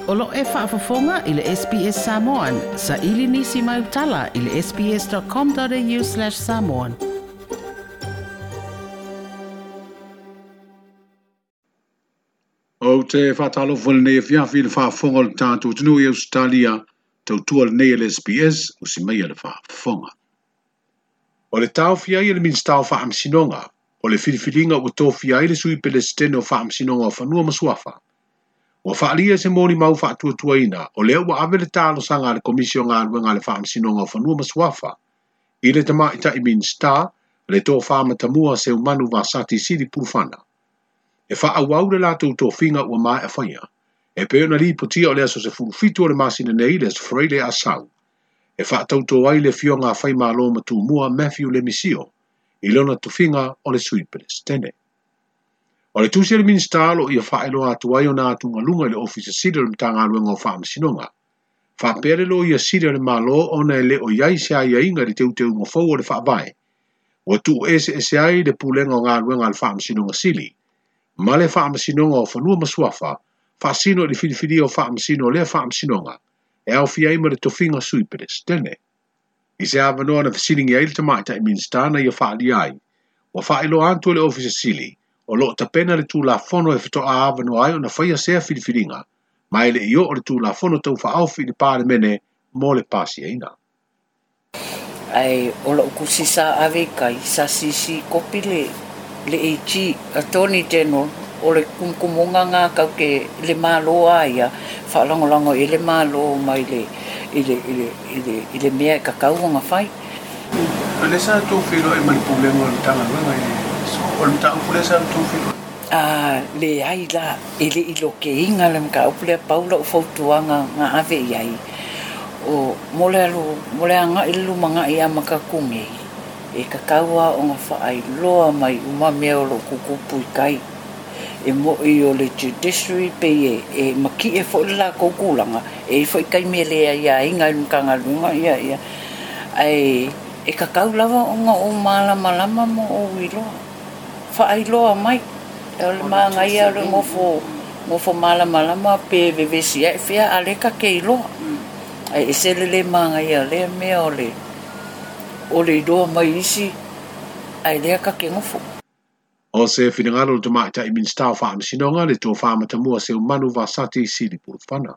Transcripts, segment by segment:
O lo o faafofoga i le SBS Samoan. Saili nisi mai tala i le sbs.com.au/samoan. Ou te faatalofa i lenei afiafi i le faafofoga o le tatou atunuu i Ausetalia, tautua lenei a le SBS, usi maia le faafofoga. O le taofia ai e le Minisita o Faamasinoga, o le filifiliga ua tofia ai le Sui Pelesitene o Faamasinoga o Fanua ma Suafa. Ua faaalia se molimau faatuatuaina o lea ua ave le talosaga a le Komisi o Galuega a le Faamasinoga o Fanua ma Suafa i le Tamaitai Minisita, le Tofa Matamua Seumanu Vasati Sili Pulufana, e faaauau le latou tofiga ua maea faia, e pei ona lipotia o le aso 17 o le masina nei, le aso Faraile Asau, e faatauto ai le afioga a Faimalo Matumua Matthew Lemisio i lona tofiga o le Sui Pelesitene. O le tusi a le Minisita o lo o ia faailoa atu ai ona atugaluga i le Ofisa Sili o le Matagaluega o Faamasinoga, faapea le Loia Sili o le Malo ona e le o i ai se aiaiga i le teuteuga fou o le Faavae, ua tuueseese ai le Pulega o Galuega a le Faamasinoga Sili ma le Faamasinoga o Fanua ma Suafa, faasino i le filifilia o faamasino o lea faamasinoga e aofia ai ma le tofiga Sui Pelesitene. I se avanoa na fesiligia ai le Tamaitai Minisita na ia faaalia ai, ua faailoa atu e le Ofisa Sili o lo o tapena le Tulafono e faatoa avanoa ai ona faia sea filifiliga, ma e le i oo le Tulafono tau faaofi i le Palemene mo le pasiaina. Ae o lou tusi sa ave i kai, sa sisi kopi le AG, Attorney General, o le kumukumuga ngā kau ke le malo a ia, whaalangolago i le malo mai le, i le, i le, i le, i le mea e kakau o ngā whai. O le sa tō whiro e mai pulenga o le tanga i o le mataupu lea sa tou feiloai? Le ai la, e le i loke inga le mataupu lea pau lau fautuaga nga ave i ai. O mo le alu, mo le anga i le lumanai a makaku nei, e kakau a o ngā whaailoa mai uma mea o lo kukupu i kai. E mo i o le judiciary pe e maki e fo le la koukulanga, e fo i kai me lea ia inga i mkanga lunga ia ia. Ai, e kakau lava o ngā o malama lama mo o iloa. Whaailoa mai. E o le maanga ia o le ngofo malama lama pe vevesi e whia a leka ke iloa. Ai e sele le maanga ia lea mea o le iloa mai isi ai lea ka ke ngofo. O se finangalo le Tamaitai Minisita o Faamasinoga le Tofa Matamua Seumanu Vasati Sili Pulufana.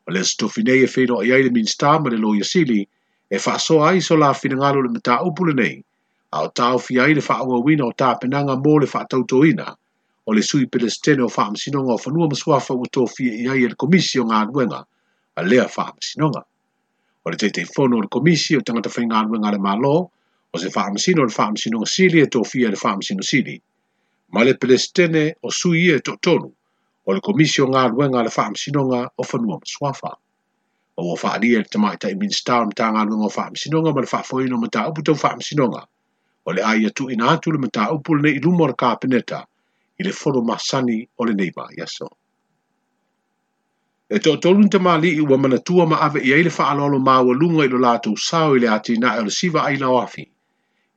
O le aso tofi nei e feiloai ai le Minisita ma le Loia Sili e faasoa ai so la finangalo le mataupu lenei, a o taofia ai le faaauauina o tapenaga mo le faatautoina o le Sui Pelesitene o Faamasinoga o Fanua ma Suafa ua tofia i ai e le Komisi o Galuega a lea Faamasinoga. O le Taitaifono o le Komisi o Tagata Faigaluega a le Malo, o se faamasino o le Faamasinoga Sili e tofia e le Faamasino Sili, ma le Pelesitene o sui ia e toatolu o le Komisi o Galuega a le Faamasinoga o Fanua ma Suafa. O ua faaalia e le Tamaitai Minisita o le Matagaluega o Faamasinoga ma le faafoeina o mataupu tau faamasinoga, o le a ia tuuina atu le mataupu lenei i luma o le Kapeneta i le fono masani o lenei vaiaso. E toatolu ni tamalii ua manatua ma ave i ai le faaaloalo maualuga i lo latou sao i le atinae o le siva ai lauafi,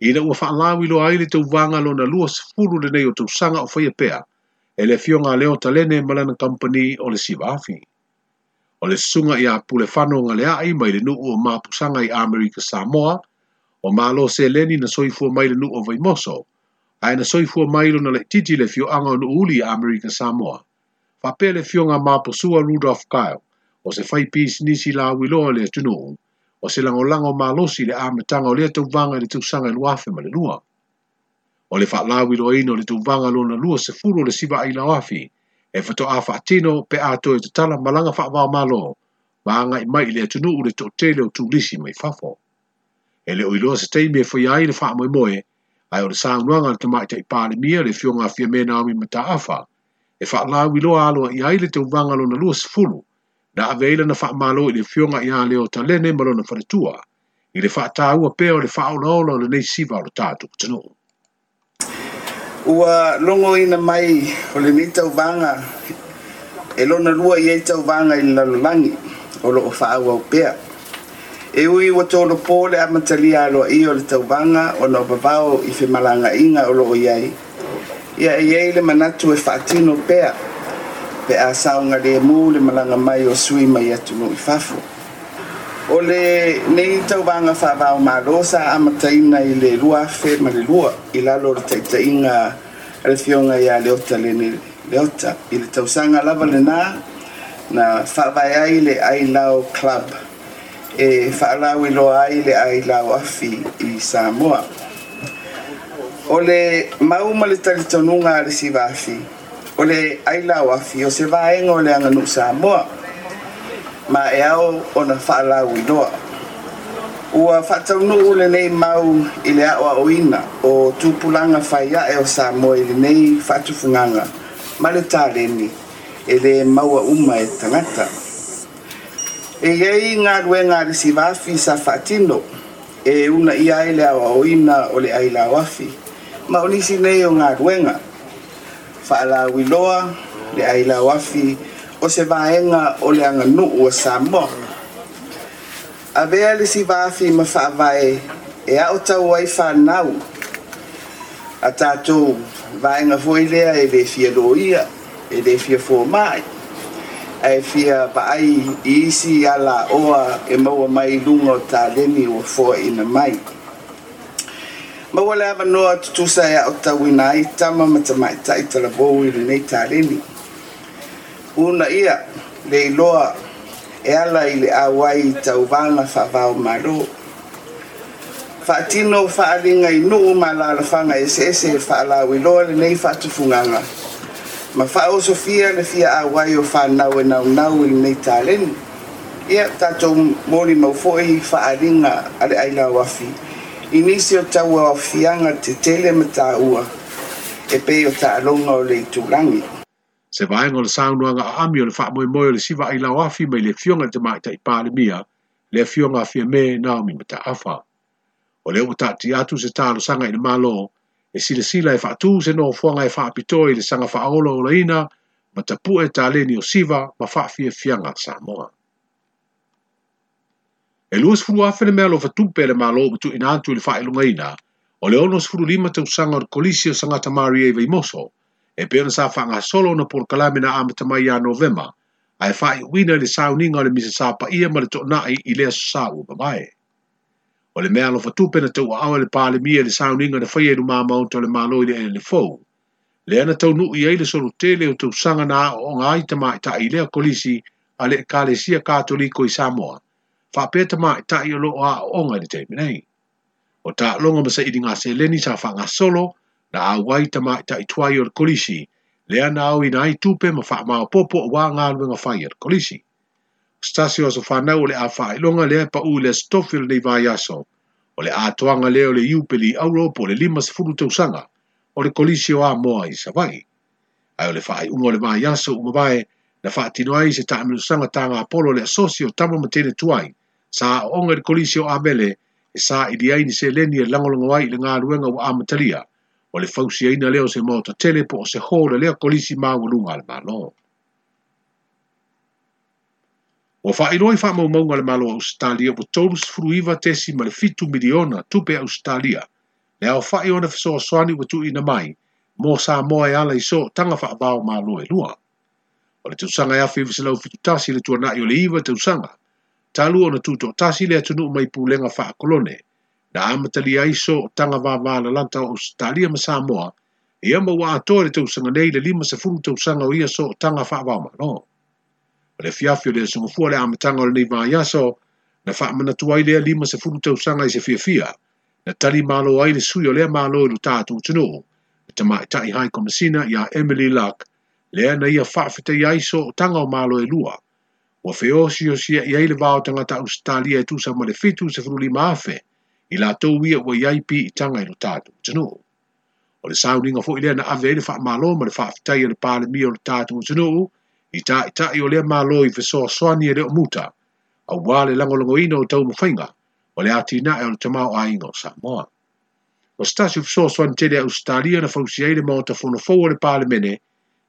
ina ua faalauiloa ai le tauvaga lona 20 lenei o tausaga o faia pea e le afioga a Leo Talene ma lana kampani o le siva afi. O le susuga ia Pulefano Galeai mai le nuu o Mapusaga i Amerika Samoa, o Malo Seleni na soifua mai le nuu o Vaimoso, ae na soifua mai lona laitiiti le afioaga o Nuuuli i Amerika Samoa. Faapea le afioga Maposua Rudolph Kyle, o se fai pisinisi lauiloa le atunuu, o se lagolago malosi le amataga o lea tauvaga i le tausaga e 2002. O le faalauiloaina o le tauvaga lona 20 o le siva ai lauafi, e faatoa faatino pe a toe tatala malaga faavaomalo, ma agai mai i le atunuu le toatele o turisi mai fafo. E le o iloa se taimi e faia ai le faamoemoe, ae o le saunoaga a le Tamaitai Palemia le afioga a Fiame Naomi Mataafa, e faalauiloa aloa i ai le tauvaga lona 20, na ave ai lana faamalo i le afioga ia Leo Talene ma lona faletua, i le faataua pea o le faaolaola o lenei siva o le tatou atunuu. Ua logoina mai o lenei tauvaga e lona lua i ai tauvaga i le lalolagi o loo faaauau pea. E ui ua tolopo le amatalia aloaia o le tauvaga ona o vavao i femalagaaiga o loo i ai. Ia e i ai le manatu e faatino pea Pe a saogalemu le malaga mai o sui mai atunuu i fafo. O lenei tauvaga faava-o-Malo sa amataina i le 2002 i lalo o le taitaiga a le Afioga ia Leota Lene Leota. I le tausaga lava lena na faavae ai le Ailao Club e faalauiloa ai le ailao afi i Samoa. O le mau ma le talitonuga a le Siva Afi, o le ailao afi o se vaega o le aganuu Samoa, ma e ao ona faalauiloa. Ua faataunuu lenei mau i le aoaoina o tupulaga faiae o Samoa i lenei faatufugaga ma le taleni e lē maua uma e tagata. E i ai galuega a le Siva Afi sa faatino e uunaia ai le aoaoina o le ailao afi, ma o nisi nei o galuega: faalauiloa le ailao afi o se vaega o le aganuu a Samoa. Avea le Siva Afi ma faavae e aotau ai fanau a tatou, vaega foi lea e lē fia loia, e lē fia fomai, ae fia vaai i isi alaoa e maua mai i luga o taleni ua foaina mai. Maua le avanoa tutusa e aotauina ai tama ma tamaitai talavou i lenei taleni. Uunaia le iloa e ala i le auai i tauvaga faava-o-Malo. Faatino faaaliga i nuu ma alalafaga eseese e faalauiloa lenei faatufugaga ma faaosofia le fia auai o fanau e naunau i lenei taleni. Ia tatou molimau foi faaaliga a le ailao afi i nisi o tauaofiaga tetele ma taua e pei o taaloga o le itulagi. Se vaega o le saunoaga aami o le faamoemoe o le siva ailao afi mai le Afioga i le Tamaitai Palemia, le Afioga a Fiame Naomi Mataafa. O lea ua taatia atu se talosaga i le Malo e silasila e faatu se nofoaga e faapitoa i le saga faaolaolaina ma tapu'e taleni o siva ma faafiafiaga a Samoa. E 20,000 le meaalofa tupe a le Malo ua tuuina atu i le faailogaina o le 65 tausaga o le Kolisi o Sagata Maria i Vaimoso, e pei ona sa faagasolo ona polokalame na amata mai ia Novema, ae faaiuina i le sauniga o le Misa Sapaia ma le Toonai i le Aso Sa ua mavae. O le meaalofa tupe na tauaao e le Palemia i le sauniga na faia i luma maota o le Malo i le eleele fou, lea na taunuu i ai le solotele o tausaga na aooga ai tamaitai i lea kolisi a le Ekalesia Katoliko i Samoa, faapea tamaitai o lo o aooga i le taimi nei. O taaloga ma sailiga seleni sa faagasolo na auai tamaitai tuai o le kolisi, lea na aoina ai tupe ma faamaopoopo aua galuega fai a le kolisi. O se tasi o aso fanau o le a faailoga lea e pau i le Aso Tofi o lenei vaiaso, o le atoaga lea o le Iupeli Auro po o le 50 tausaga o le Kolisi o Amoa i Savaii. Ae o le faaiuga o le vaiaso ua mavae na faatino ai se taamilosaga tagapolo a le Asosi o Tama ma Teine Tuai sa aooga i le Kolisi o Avele e saili ai ni seleni e lagolago ai i le galuega ua amatalia o le fausiaina lea o se maota tele po o se hall a lea kolisi maualuga a le Malo. Ua faailoa i faamaumauga a le Malo o Ausetalia ua 39.7 miliona tupe Ausetalia le aofai o ana fesoasoani ua tuuina mai mo Samoa e ala i sootaga faava-o-Malo e lua. O le tausaga e 1971 le tuanai o le 9 tausaga talu ona tutoatasi le atunuu mai pulega faakolone na amatalia ai sootaga vavalalata o Ausetalia ma Samoa, ia ma ua atoa i le tausaga nei le 50 tausaga o ia sootaga faava-o-Malo. O le afiafi o le Aso Gafua le amataga o lenei vaiaso na faamanatu ai lea 50 tausaga i se fiafia na tali malo ai le sui o lea Malo i lo tatou atunuu, le Tamaitai Hai Komesina ia Emily Luck, lea na ia faafetaia ai sootaga o Malo e lua. Ua feosiosia'i ai le va o tagata Ausetalia e tusa ma le 75,000 i latou ia ua i ai piitaga i lo tatou atunuu. O le sauniga foi lea na ave ai le faamalo ma le faafetai a le Palemia o le tatou atunuu i taitai o lea Malo i fesoasoani e le o muta, aua le lagolagoina o taumafaiga o le atinae o le tamaoaiga o Samoa. O se tasi o fesoasoani tele a Ausetalia na fausia ai le Maota Fono fou o le Palemene,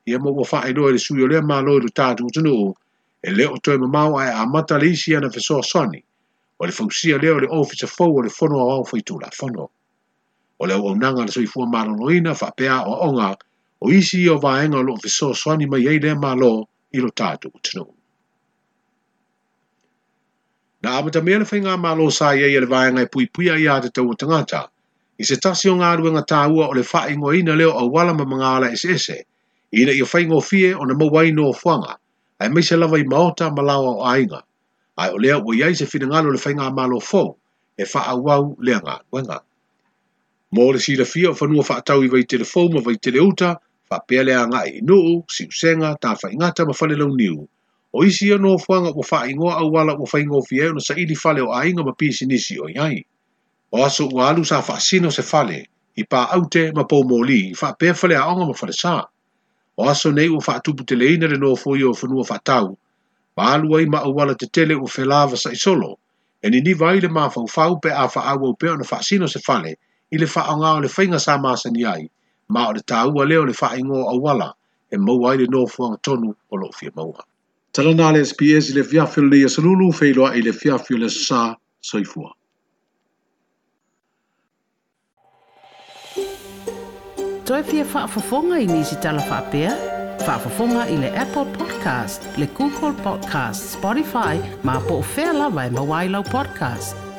ia ma ua faailoa e le sui o lea Malo i lo tatou atunuu e le o toe mamao ae amata le isi ana fesoasoani o le fausia lea o le Ofisa fou o le Fono Aoao Faitulafono. O le auaunaga a le soifua maloloina faapea aoaoga o isi ia o vaega o lo o fesoasoani mai ai lea Malo i lo tatou atunuu. Na amatamea le faigamalo sa i ai a le Vaega e Puipuia Aiatatau a Tagata i se tasi o galuega taua o le faaigoaina lea o auala ma magaala eseese ina ia faigofie ona maua ai nofoaga aemaise lava i maota ma laoa o aiga, ae o lea ua i ai se finagalo o le faigamalo fou e faaauau lea galuega. Mo le silafia o fanua faatau i Vaitele Fou ma Vaitele Uta, faapea le agai i Nuu, Siusega, Tafaigata ma Falelauniu, o isi ia nofoaga ua faaigoa auala ua faigofie ai ona saili fale o aiga ma pisinisi o i ai. O aso ua alu sa faasino se fale i Paaute ma Poumoli, faapea faleaoga ma falesa. O aso nei ua faatuputeleina le nofoia o fanua faatau, ma alu ai ma auala tetele ua felavasa'i solo, e niniva ai le mafaufau pe a faaauau pea ona faasino se fale i le faaaoga o le faiga sa masani ai, ma o le taua lea o le faaigoa o auala e maua ai le nofoaga tonu o lo o fia maua. Tala na le SBS i le afiafi o lenei aso Lulu, feiloai i le afiafi o le Aso Sa. Soifua. Toe fia faafofoga i nisi tala faapea? Faafofoga i le Apple Podcast, le Google Podcast, Spotify, ma po o fea lava e maua ai lau podcast.